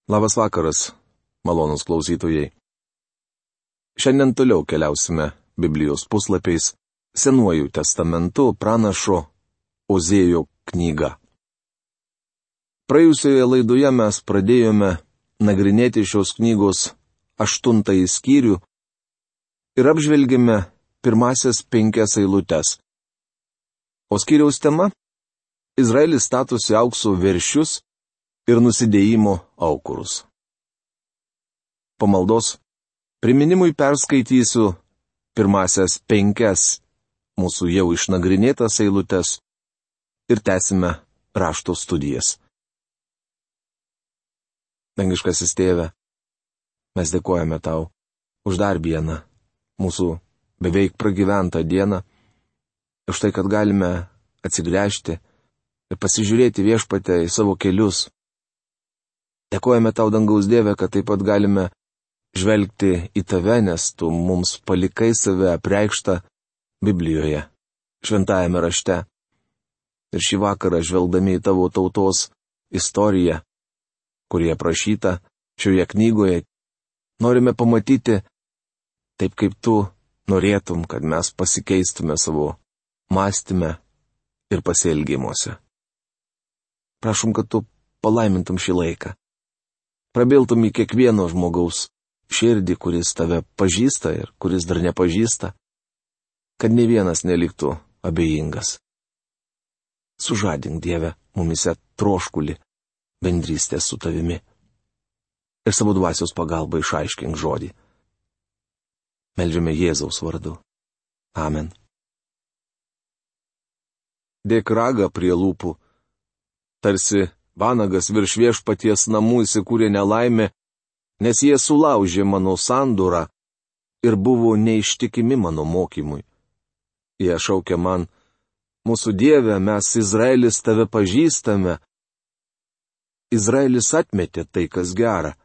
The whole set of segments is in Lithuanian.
Labas vakaras, malonūs klausytojai. Šiandien toliau keliausime Biblijos puslapiais Senuoju testamentu pranašo Ozėjo knyga. Praėjusioje laidoje mes pradėjome nagrinėti šios knygos 8 skyrių ir apžvelgėme pirmasias 5 eilutes. O skyriaus tema - Izraelis statosi aukso veršius ir nusidėjimo aukurus. Po maldos priminimui perskaitysiu pirmasias 5 mūsų jau išnagrinėtas eilutes ir tęsime rašto studijas. Dangiškasis Tėve, mes dėkojame Tau už dar vieną mūsų beveik pragyventą dieną, už tai, kad galime atsigręžti ir pasižiūrėti Viešpatę į savo kelius. Dėkojame Tau, dangaus Dieve, kad taip pat galime žvelgti į Tave, nes Tu mums palikai save apreikštą Biblijoje, šventajame rašte. Ir šį vakarą, žvelgdami į Tavo tautos istoriją, kurie aprašyta šioje knygoje, norime pamatyti taip, kaip Tu norėtum, kad mes pasikeistume savo mąstyme ir pasielgimuose. Prašom, kad Tu palaimintum šį laiką. Prabiltum į kiekvieno žmogaus širdį, kuris Tave pažįsta ir kuris dar nepažįsta, kad ne vienas neliktų abejingas. Sužadink, Dieve, mumise troškulį bendrystės su Tavimi ir savo dvasios pagalba išaiškink žodį. Meldžiame Jėzaus vardu. Amen. Dėk ragą prie lūpų, tarsi vanagas virš Viešpaties namų įsikūrė nelaimė, nes jie sulaužė mano sandūrą ir buvo neištikimi mano mokymui. Jie šaukia man: mūsų Dieve, mes Izraelis Tave pažįstame. Izraelis atmetė tai, kas gera.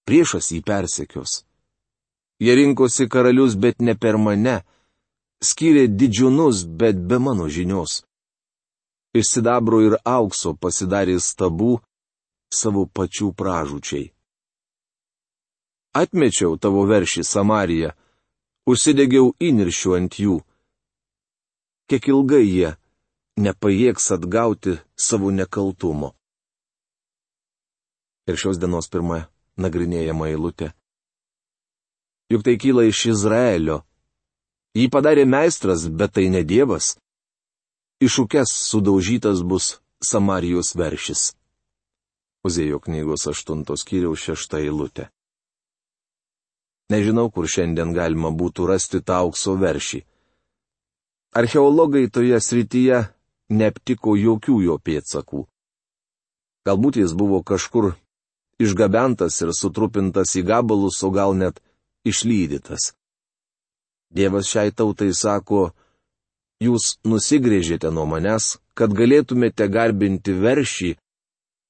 Priešas jį persekios. Jie rinkosi karalius, bet ne per mane. Skyrė didžiūnus, bet be mano žinios. Iš sidabro ir aukso pasidarė stabų savo pačių pražūčiai. Atmečiau Tavo veršį Samariją, užsidegiau įniršiu ant jų. Kiek ilgai jie nepajėgs atgauti savo nekaltumo. Ir šios dienos pirma nagrinėjama eilutė. Juk tai kyla iš Izraelio. Jį padarė meistras, bet tai ne Dievas. Iš ukes sudaužytas bus Samarijos veršis. Ozėjo knygos 8 skyriaus 6 eilutė. Nežinau, kur šiandien galima būtų rasti tą aukso veršį. Archeologai toje srityje neaptiko jokių jo pėdsakų. Galbūt jis buvo kažkur išgabentas ir sutrupintas į gabalus, o gal net išlydytas. Dievas šiai tautai sako: jūs nusigrėžėte nuo manęs, kad galėtumėte garbinti veršį,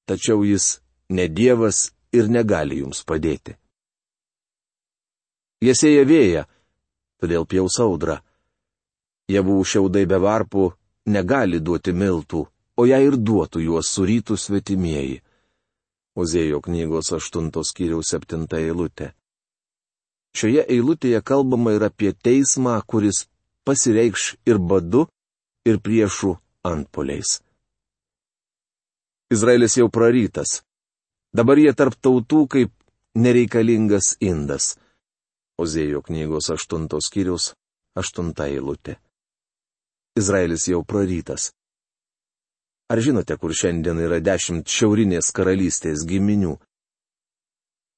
tačiau jis ne Dievas ir negali jums padėti. Jie sėja vėją, todėl pjaus audrą. Javų šiaudai be varpų negali duoti miltų, o jei ir duotų, juos surytų svetimieji. Ozėjo knygos 8 skyriaus 7 eilutė. Šioje eilutėje kalbama ir apie teismą, kuris pasireikš ir badu, ir priešų antpuoliais. Izraelis jau prarytas. Dabar jie tarp tautų kaip nereikalingas indas. Ozėjo knygos 8 skyriaus 8 eilutė. Izraelis jau prarytas. Ar žinote, kur šiandien yra 10 šiaurinės karalystės giminių?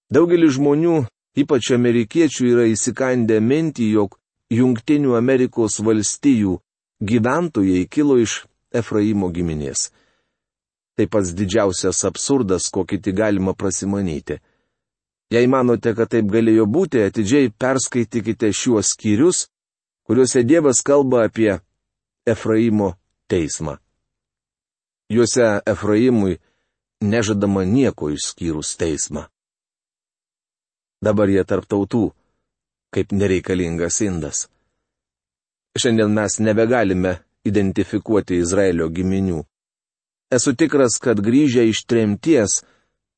Daugelis žmonių, ypač amerikiečių, yra įsikandę mintį, jog Jungtinių Amerikos valstijų gyventojai kilo iš Efraimo giminės. Tai pats didžiausias absurdas, kokį tik galima prasimanyti. Jei manote, kad taip galėjo būti, atidžiai perskaitykite šiuos skyrius, kuriuose Dievas kalba apie Efraimo teismą. Juose Efraimui nežadama nieko išskyrus teismą. Dabar jie tarp tautų, kaip nereikalingas indas. Šiandien mes nebegalime identifikuoti Izraelio giminių. Esu tikras, kad grįžę iš tremties,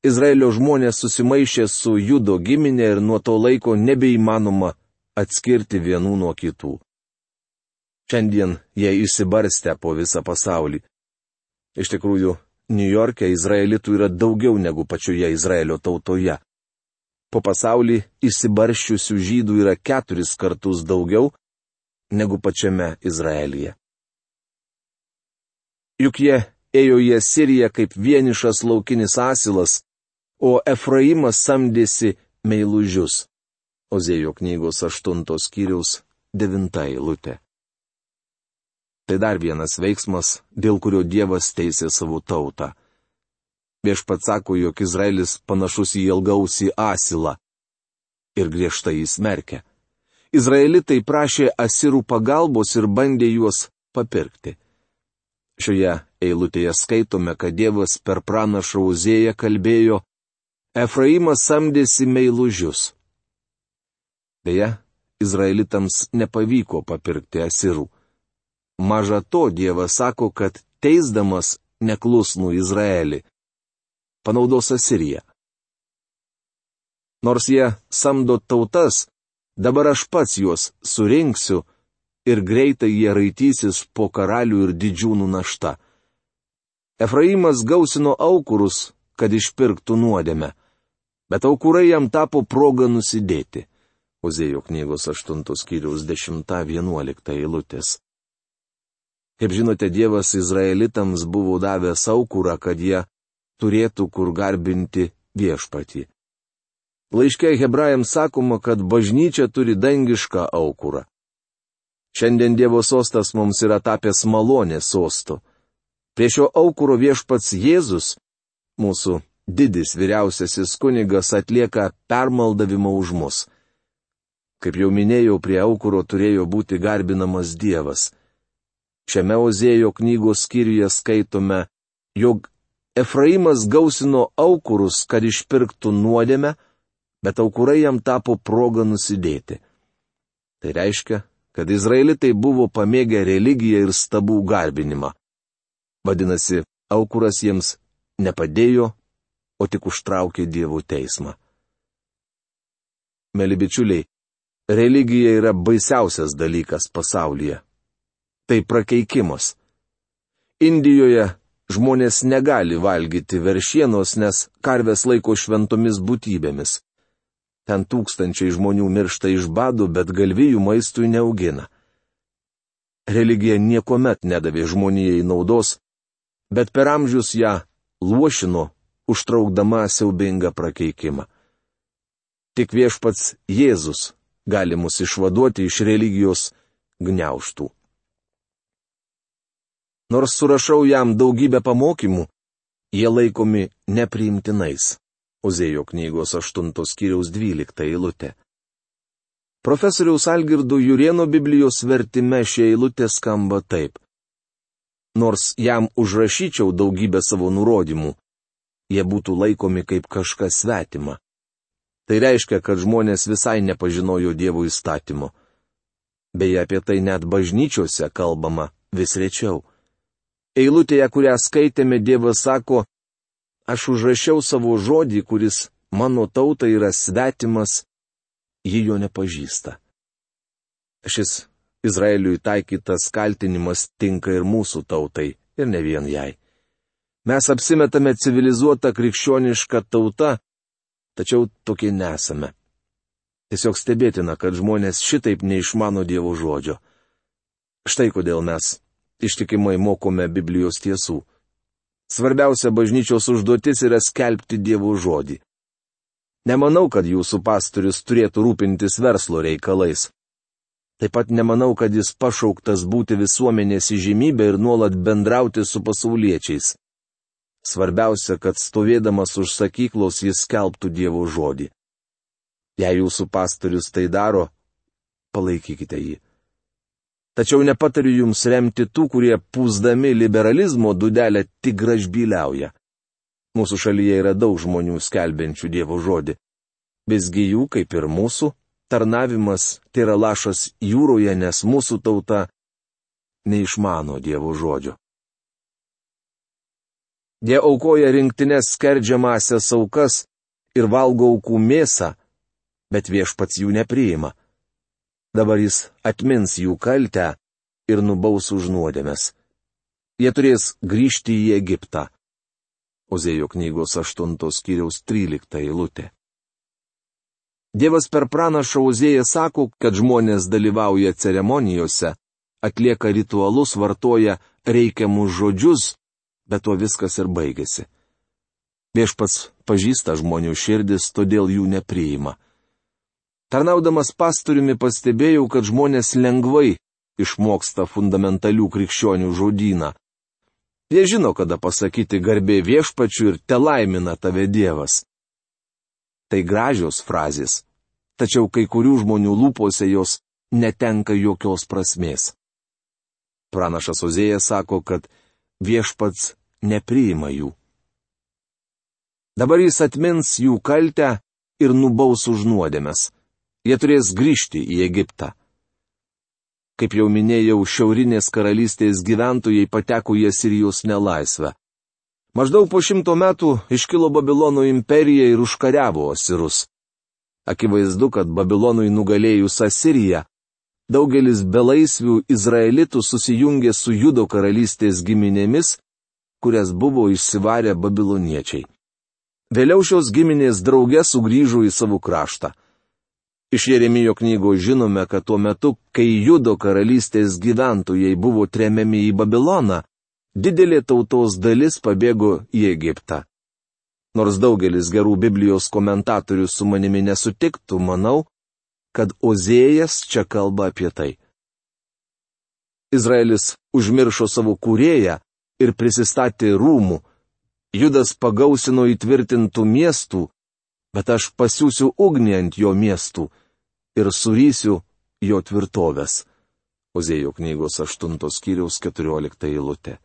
Izraelio žmonės susimaišė su Judo giminė ir nuo to laiko nebeįmanoma atskirti vienų nuo kitų. Šiandien jie išsibarstę po visą pasaulį. Iš tikrųjų, Niujorke izraelitų yra daugiau negu pačioje Izraelio tautoje. Po pasaulį išsibarščiusių žydų yra 4 kartus daugiau negu pačiame Izraelyje. Juk jie ėjo į Asiriją kaip vienišas laukinis asilas, o Efraimas samdėsi meilužius. Ozėjo knygos 8 skyriaus 9 eilutė. Tai dar vienas veiksmas, dėl kurio Dievas teisė savo tautą. Viešpats sako, jog Izraelis panašus į ilgausį asilą ir griežtai jį smerkia. Izraelitai prašė asirų pagalbos ir bandė juos papirkti. Šioje eilutėje skaitome, kad Dievas per pranašą Ozėją kalbėjo: Efraimas samdėsi meilužius. Beje, izraelitams nepavyko papirkti asirų. Maža to, Dievas sako, kad teisdamas neklusnų Izraelį panaudos Asiriją. Nors jie samdo tautas, dabar aš pats juos surinksiu ir greitai jie raitysis po karalių ir didžiūnų našta. Efraimas gausino aukurus, kad išpirktų nuodėmę, bet aukurai jam tapo proga nusidėti. Ozėjo knygos 8 skyriaus 10-11 eilutės. Kaip žinote, Dievas izraelitams buvo davęs aukurą, kad jie turėtų kur garbinti viešpatį. Laiške Hebrajams sakoma, kad bažnyčia turi dangišką aukurą. Šiandien Dievo sostas mums yra tapęs malonės sostu. Prie šio aukuro viešpats Jėzus, mūsų didis vyriausiasis kunigas, atlieka permaldavimą už mus. Kaip jau minėjau, prie aukuro turėjo būti garbinamas Dievas. Šiame Ozėjo knygos skyriuje skaitome, jog Efraimas gausino aukurus, kad išpirktų nuodėmę, bet aukurai jam tapo proga nusidėti. Tai reiškia, kad izraelitai buvo pamėgę religiją ir stabų garbinimą. Vadinasi, aukuras jiems nepadėjo, o tik užtraukė Dievo teismą. Mėly bičiuliai, religija yra baisiausias dalykas pasaulyje. Tai prakeikimas. Indijoje žmonės negali valgyti veršienos, nes karves laiko šventomis būtybėmis. Ten tūkstančiai žmonių miršta iš bado, bet galvijų maistui neaugina. Religija niekuomet nedavė žmonijai naudos, bet per amžius ją luošino, užtraukdama siaubingą prakeikimą. Tik viešpats Jėzus gali mus išvaduoti iš religijos gniaužtų. Nors surašau jam daugybę pamokymų, jie laikomi nepriimtinais. Ozėjo knygos 8 skyriaus 12 eilutė. Profesoriaus Algirdo Jurėno Biblijos vertime šie eilutė skamba taip. Nors jam užrašyčiau daugybę savo nurodymų, jie būtų laikomi kaip kažkas svetima. Tai reiškia, kad žmonės visai nepažinojo Dievo įstatymo. Beje, apie tai net bažnyčiose kalbama vis rečiau. Eilutėje, kurią skaitėme, Dievas sako: Aš užrašiau savo žodį, kuris mano tautai yra svetimas, ji jo nepažįsta. Šis Izraeliui taikytas kaltinimas tinka ir mūsų tautai, ir ne vien jai. Mes apsimetame civilizuota krikščioniška tauta, tačiau tokie nesame. Tiesiog stebėtina, kad žmonės šitaip neišmano Dievo žodžio. Štai kodėl mes ištikimai mokome Biblijos tiesų. Svarbiausia bažnyčios užduotis yra skelbti Dievo žodį. Nemanau, kad jūsų pastorius turėtų rūpintis verslo reikalais. Taip pat nemanau, kad jis pašauktas būti visuomenės įžymybė ir nuolat bendrauti su pasauliečiais. Svarbiausia, kad stovėdamas už sakyklos jis skelbtų Dievo žodį. Jei jūsų pastorius tai daro, palaikykite jį. Tačiau nepatariu jums remti tų, kurie pūsdami liberalizmo dūdelę tik gražbyliauja. Mūsų šalyje yra daug žmonių skelbiančių Dievo žodį. Visgi jų, kaip ir mūsų, tarnavimas tai yra lašas jūroje, nes mūsų tauta neišmano Dievo žodžio. Jie aukoja rinktinės skerdžiamąsias aukas ir valgo aukų mėsą, bet viešpats jų nepriima. Dabar jis atmins jų kaltę ir nubaus už nuodėmes. Jie turės grįžti į Egiptą. Ozėjo knygos 8 skyriaus 13 eilutė. Dievas per pranašą Ozėją sako, kad žmonės dalyvauja ceremonijose, atlieka ritualus, vartoja reikiamus žodžius, bet tuo viskas ir baigėsi. Viešpats pažįsta žmonių širdis, todėl jų nepriima. Tarnaudamas pastoriumi pastebėjau, kad žmonės lengvai išmoksta fundamentalių krikščionių žodyną. Jie žino, kada pasakyti garbė viešpačiui ir telaimina tave Dievas. Tai gražios frazės, tačiau kai kurių žmonių lūpose jos netenka jokios prasmės. Pranašas Ozėjas sako, kad viešpats nepriima jų. Dabar jis atmins jų kaltę ir nubaus už nuodėmes. Jie turės grįžti į Egiptą. Kaip jau minėjau, šiaurinės karalystės gyventojai pateko į Asirijos nelaisvę. Maždaug po 100 metų iškilo Babilono imperija ir užkariavo asirus. Akivaizdu, kad Babilonui nugalėjus Asiriją, daugelis belaisvių izraelitų susijungė su Judo karalystės giminėmis, kurias buvo išsivarę babiloniečiai. Vėliau šios giminės drauge sugrįžo į savo kraštą. Iš Jeremijo knygos žinome, kad tuo metu, kai Judo karalystės gyventojai buvo tremiami į Babiloną, didelė tautos dalis pabėgo į Egiptą. Nors daugelis gerų Biblijos komentatorių su manimi nesutiktų, manau, kad Ozėjas čia kalba apie tai. Izraelis užmiršo savo kūrėją ir prisistatė rūmų. Judas pagausino įtvirtintų miestų, bet aš pasiųsiu ugnį ant jo miestų ir surysiu jo tvirtovės. Ozėjo knygos 8 skyriaus 14 eilutė.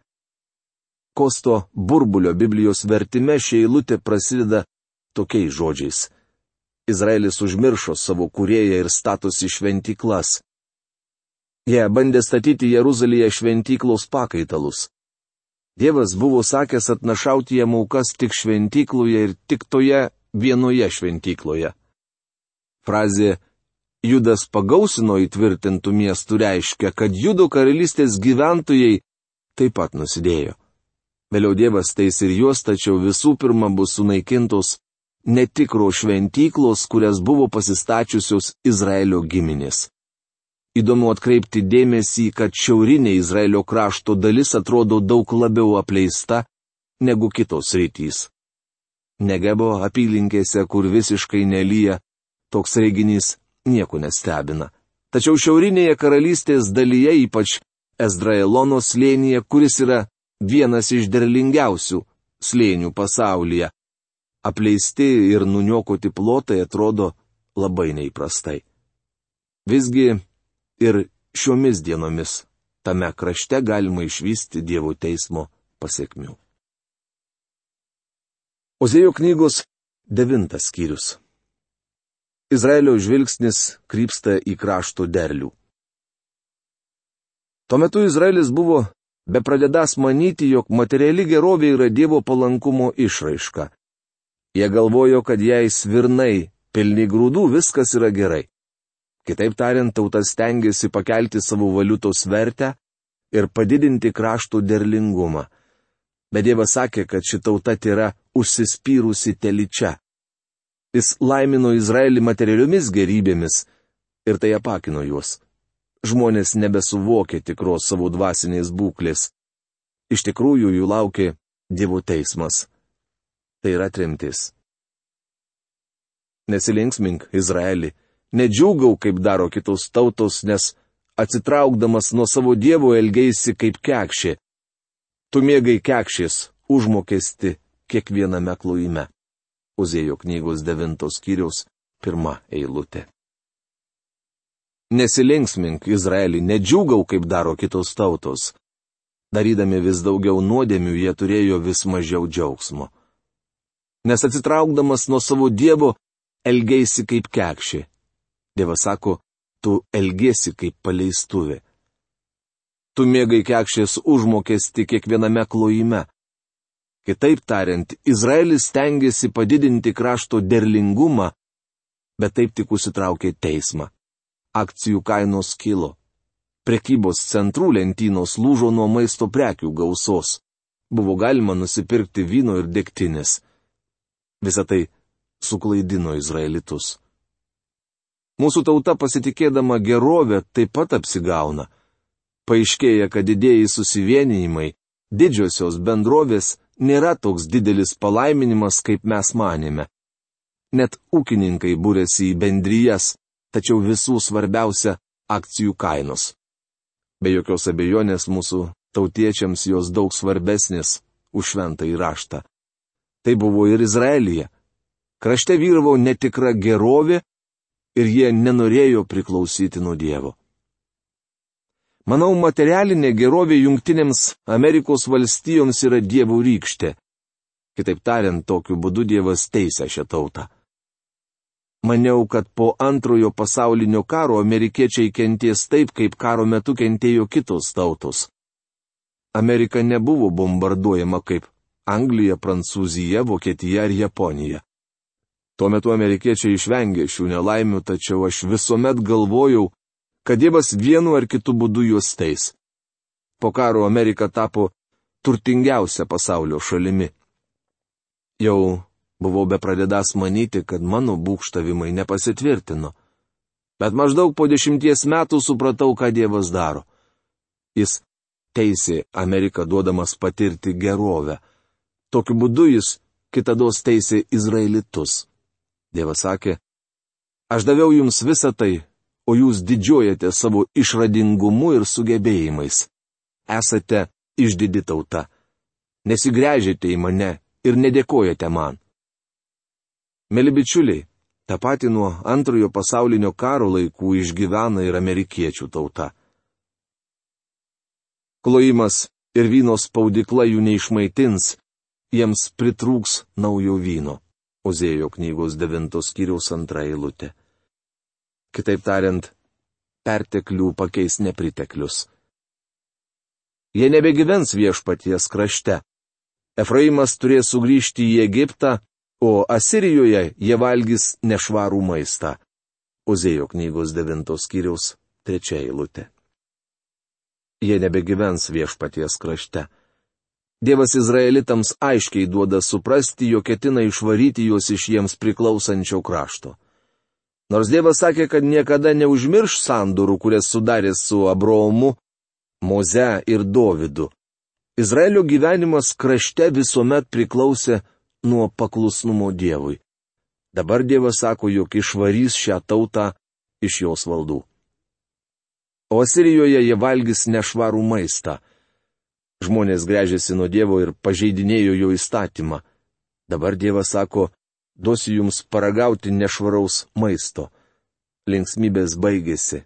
Kosto Burbulio Biblijos vertime ši eilutė prasideda tokiais žodžiais. Izraelis užmiršo savo kūrėją ir statosi šventyklas. Jie bandė statyti Jeruzalėje šventyklos pakaitalus. Dievas buvo sakęs atnašauti jam aukas tik šventykloje ir tik toje vienoje šventykloje. Frazė Judas pagausino įtvirtintų miestų reiškia, kad Judo karalystės gyventojai taip pat nusidėjo. Vėliau Dievas teis ir juos, tačiau visų pirma bus sunaikintos netikro šventyklos, kurias buvo pasistačiusios Izraelio giminės. Įdomu atkreipti dėmesį, kad šiaurinė Izraelio krašto dalis atrodo daug labiau apleista negu kitos sritys. Negebo apylinkėse, kur visiškai nelyja, toks reiginys nieko nestebina. Tačiau šiaurinėje karalystės dalyje, ypač Ezdraelono slėnyje, kuris yra vienas iš derlingiausių slėnių pasaulyje, apleisti ir nuniokoti plotai atrodo labai neįprastai. Visgi ir šiomis dienomis tame krašte galima išvysti Dievo teismo pasekmių. Ozėjo knygos 9 skyrius. Izraelio žvilgsnis krypsta į krašto derlių. Tuo metu Izraelis buvo bepradedąs manyti, jog materiali gerovė yra Dievo palankumo išraiška. Jie galvojo, kad jei svirnai pilni grūdų, viskas yra gerai. Kitaip tariant, tauta stengiasi pakelti savo valiutos vertę ir padidinti krašto derlingumą. Bet Dievas sakė, kad ši tauta yra užsispyrusi telyčia. Jis laimino Izraelį materialiomis gerybėmis ir tai apakino juos. Žmonės nebesuvokė tikros savo dvasinės būklės. Iš tikrųjų jų laukė Dievo teismas. Tai yra tremtis. Nesilinksmink, Izraeli, nedžiūgau, kaip daro kitos tautos, nes atsitraukdamas nuo savo Dievo elgeisi kaip kekšė. Tu mėgai kekšės užmokesti kiekviename klojime. Ozėjo knygos 9 skyriaus 1 eilutė. Nesilinksmink, Izraeli, nedžiūgau, kaip daro kitos tautos. Darydami vis daugiau nuodėmių, jie turėjo vis mažiau džiaugsmo. Nes atsitraukdamas nuo savo Dievo, elgeisi kaip kekšė. Dievas sako, tu elgesi kaip paleistuvė. Tu mėgai kekšės užmokesti kiekviename klojime. Kitaip tariant, Izraelis stengiasi padidinti krašto derlingumą, bet taip tik užsitraukė teismą. Akcijų kainos kilo. Prekybos centrų lentynos lūžo nuo maisto prekių gausos. Buvo galima nusipirkti vyno ir degtinės. Visą tai suklaidino izraelitus. Mūsų tauta pasitikėdama gerovę taip pat apsigauna. Paaiškėja, kad didieji susivienijimai, didžiosios bendrovės nėra toks didelis palaiminimas, kaip mes manėme. Net ūkininkai būrėsi į bendrijas, tačiau visų svarbiausia - akcijų kainos. Be jokios abejonės mūsų tautiečiams jos daug svarbesnės už šventąjį raštą. Tai buvo ir Izraelyje. Krašte vyravo netikra gerovė ir jie nenorėjo priklausyti nuo Dievo. Manau, materialinė gerovė Jungtinėms Amerikos valstijoms yra Dievo rykštė. Kitaip tariant, tokiu būdu Dievas teisia šią tautą. Maniau, kad po antrojo pasaulinio karo amerikiečiai kenties taip, kaip karo metu kentėjo kitos tautos. Amerika nebuvo bombarduojama kaip Anglija, Prancūzija, Vokietija ar Japonija. Tuo metu amerikiečiai išvengė šių nelaimių, tačiau aš visuomet galvojau, kad Dievas vienu ar kitu būdu juos teis. Po karo Amerika tapo turtingiausia pasaulio šalimi. Jau buvau bepradedąs manyti, kad mano būgštavimai nepasitvirtino. Bet maždaug po 10 metų supratau, ką Dievas daro. Jis teisė Ameriką duodamas patirti gerovę. Tokiu būdu jis kitados teisė izraelitus. Dievas sakė, aš daviau jums visą tai, o jūs didžiuojate savo išradingumu ir sugebėjimais. Esate išdidi tauta. Nesigręžėte į mane ir nedėkojate man. Mėly bičiuliai, tą patį nuo antrojo pasaulinio karo laikų išgyvena ir amerikiečių tauta. Klojimas ir vyno spaudykla jų neišmaitins, jiems pritrūks naujo vyno. Ozėjo knygos 9 skyriaus 2 eilutė. Kitaip tariant, perteklių pakeis nepriteklius. Jie nebegyvens viešpaties krašte. Efraimas turės sugrįžti į Egiptą, o Asirijoje jie valgys nešvarų maistą. Ozėjo knygos 9 skyriaus 3 eilutė. Jie nebegyvens viešpaties krašte. Dievas izraelitams aiškiai duoda suprasti, jog ketina išvaryti juos iš jiems priklausančio krašto. Nors Dievas sakė, kad niekada neužmirš sandorų, kurias sudarė su Abraomu, Moze ir Dovydu, Izraelio gyvenimas krašte visuomet priklausė nuo paklusnumo Dievui. Dabar Dievas sako, jog išvarys šią tautą iš jos valdų. O Asirijoje jie valgys nešvarų maistą. Žmonės gręžėsi nuo Dievo ir pažeidinėjo jo įstatymą. Dabar Dievas sako, duosiu jums paragauti nešvaraus maisto. Linksmybės baigėsi.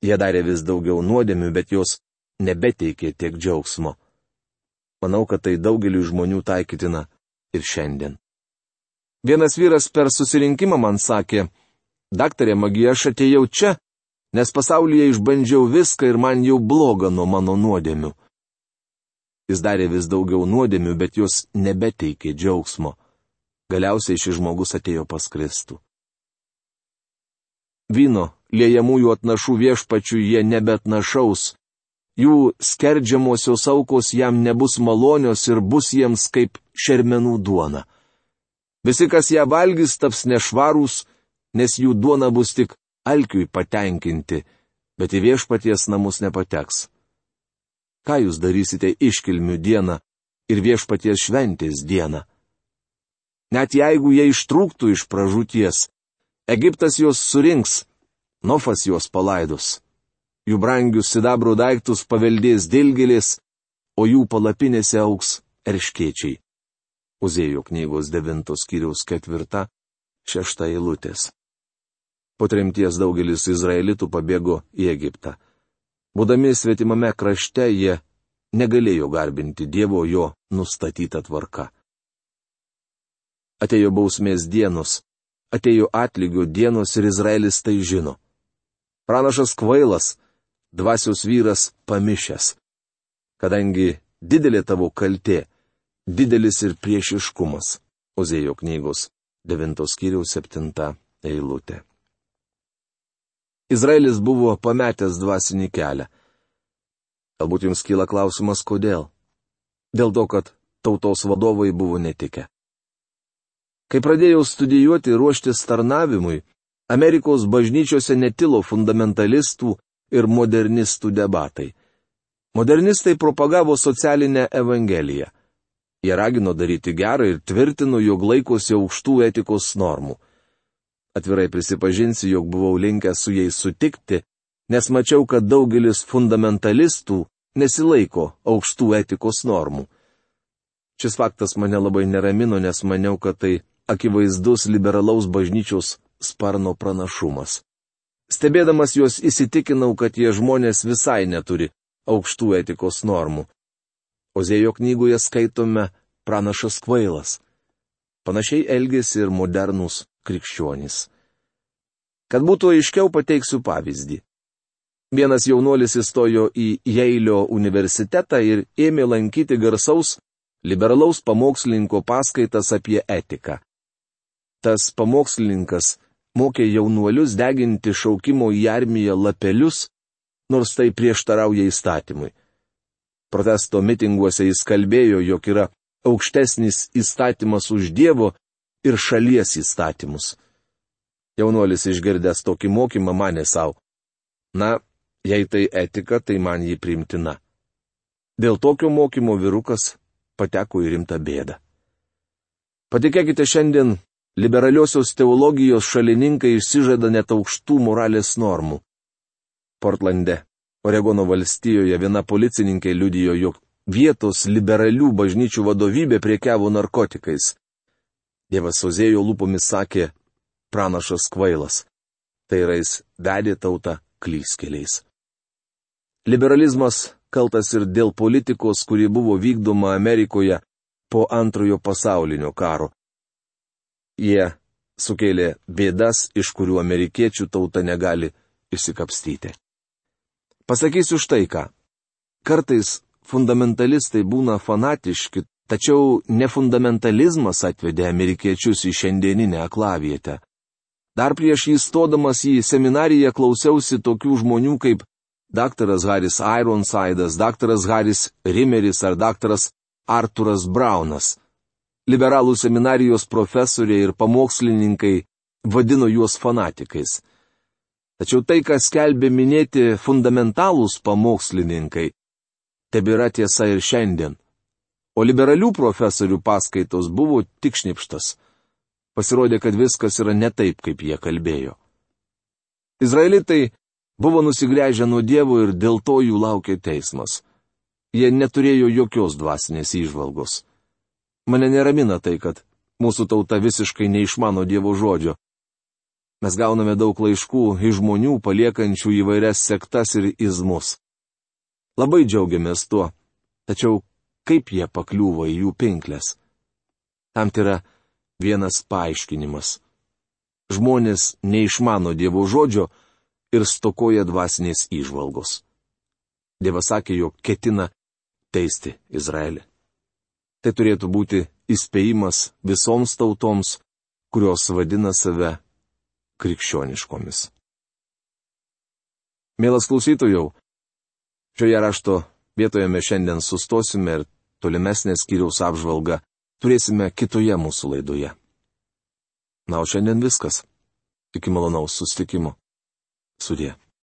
Jie darė vis daugiau nuodėmių, bet jos nebeteikė tiek džiaugsmo. Manau, kad tai daugeliu žmonių taikytina ir šiandien. Vienas vyras per susirinkimą man sakė, daktarė Magija, aš atėjau čia, nes pasaulyje išbandžiau viską ir man jau bloga nuo mano nuodėmių. Jis darė vis daugiau nuodėmių, bet jos nebeteikė džiaugsmo. Galiausiai šis žmogus atėjo pas Kristų. Vyno, liejamųjų atnašų viešpačių jie nebetnašaus. Jų skerdžiamosios aukos jam nebus malonios ir bus jiems kaip šermenų duona. Visi, kas ją valgys, taps nešvarūs, nes jų duona bus tik alkiui patenkinti, bet į viešpaties namus nepateks. Ką jūs darysite iškilmių dieną ir viešpaties šventės dieną? Net jeigu jie ištrūktų iš pražūties, Egiptas juos surinks, Nofas juos palaidos. Jų brangius sidabro daiktus paveldės dilgėlės, o jų palapinėse augs erškėčiai. Ozėjo knygos 9 skyriaus 4-6 eilutės. Po tremties daugelis izraelitų pabėgo į Egiptą. Būdami svetimame krašte, jie negalėjo garbinti Dievo jo nustatytą tvarką. Atėjo bausmės dienos, atėjo atlygio dienos ir Izraelis tai žino. Pranašas kvailas, dvasios vyras pamišęs. Kadangi didelė tavo kaltė, didelis ir priešiškumas. Ozėjo knygos 9 skyriaus 7 eilutė. Izraelis buvo pametęs dvasinį kelią. Galbūt jums kyla klausimas, kodėl? Dėl to, kad tautos vadovai buvo netikę. Kai pradėjau studijuoti ir ruoštis tarnavimui, Amerikos bažnyčiose netilo fundamentalistų ir modernistų debatai. Modernistai propagavo socialinę evangeliją. Jie ragino daryti gerą ir tvirtino, jog laikosi aukštų etikos normų. Atvirai prisipažinsiu, jog buvau linkęs su jais sutikti, nes mačiau, kad daugelis fundamentalistų nesilaiko aukštų etikos normų. Šis faktas mane labai neramino, nes maniau, kad tai akivaizdus liberalaus bažnyčios sparno pranašumas. Stebėdamas juos įsitikinau, kad jie žmonės visai neturi aukštų etikos normų. Ozėjo knygoje skaitome pranašas kvailas. Panašiai elgėsi ir modernūs krikščionys. Kad būtų aiškiau, pateiksiu pavyzdį. Vienas jaunuolis įstojo į Jeilio universitetą ir ėmė lankyti garsaus liberalaus pamokslininko paskaitas apie etiką. Tas pamokslininkas mokė jaunuolius deginti šaukimo į armiją lapelius, nors tai prieštarauja įstatymui. Protesto mitinguose jis kalbėjo, jog yra aukštesnis įstatymas už Dievo ir šalies įstatymus. Jaunuolis išgirdęs tokį mokymą manė savo: na, jei tai etika, tai man jį priimtina. Dėl tokio mokymo vyrukas pateko į rimtą bėdą. Patikėkite, šiandien liberaliosios teologijos šalininkai išsižada net aukštų moralės normų. Portlande, Oregono valstijoje, viena policininkė liudijo, jog vietos liberalių bažnyčių vadovybė prekiavo narkotikais. Dievas Ozėjo lūpomis sakė: pranašas kvailas. Tai yra, jis vedė tautą klystkeliais. Liberalizmas kaltas ir dėl politikos, kuri buvo vykdoma Amerikoje po Antrojo pasaulinio karo. Jie sukėlė bėdas, iš kurių amerikiečių tauta negali išsikapstyti. Pasakysiu štai ką. Kartais fundamentalistai būna fanatiški, tačiau nefundamentalizmas atvedė amerikiečius į šiandieninę aklavietę. Dar prieš įstodamas į seminariją klausiausi tokių žmonių kaip daktaras Haris Ironsidas, daktaras Haris Rimeris ar daktaras Arturas Braunas. Liberalų seminarijos profesoriai ir pamokslininkai vadino juos fanatikais. Tačiau tai, ką skelbė minėti fundamentalūs pamokslininkai, tebėra tiesa ir šiandien. O liberalių profesorių paskaitos buvo tik šnipštas. Pasirodė, kad viskas yra ne taip, kaip jie kalbėjo. Izraelitai buvo nusigręžę nuo Dievo ir dėl to jų laukė teismas. Jie neturėjo jokios dvasinės įžvalgos. Mane neramina tai, kad mūsų tauta visiškai neišmano Dievo žodžio. Mes gauname daug laiškų iš žmonių paliekančių įvairias sektas ir izmus. Labai džiaugiamės tuo, tačiau kaip jie pakliuvo į jų pinklės? Tam yra vienas paaiškinimas. Žmonės neišmano Dievo žodžio ir stokoja dvasinės įžvalgos. Dievas sakė, jog ketina teisti Izraelį. Tai turėtų būti įspėjimas visoms tautoms, kurios vadina save krikščioniškomis. Mielas klausytojau, šioje rašto vietoje mes šiandien sustosime ir tolimesnę skyriaus apžvalgą turėsime kitoje mūsų laidoje. Na, o šiandien viskas. Iki malonaus susitikimo. Sudie.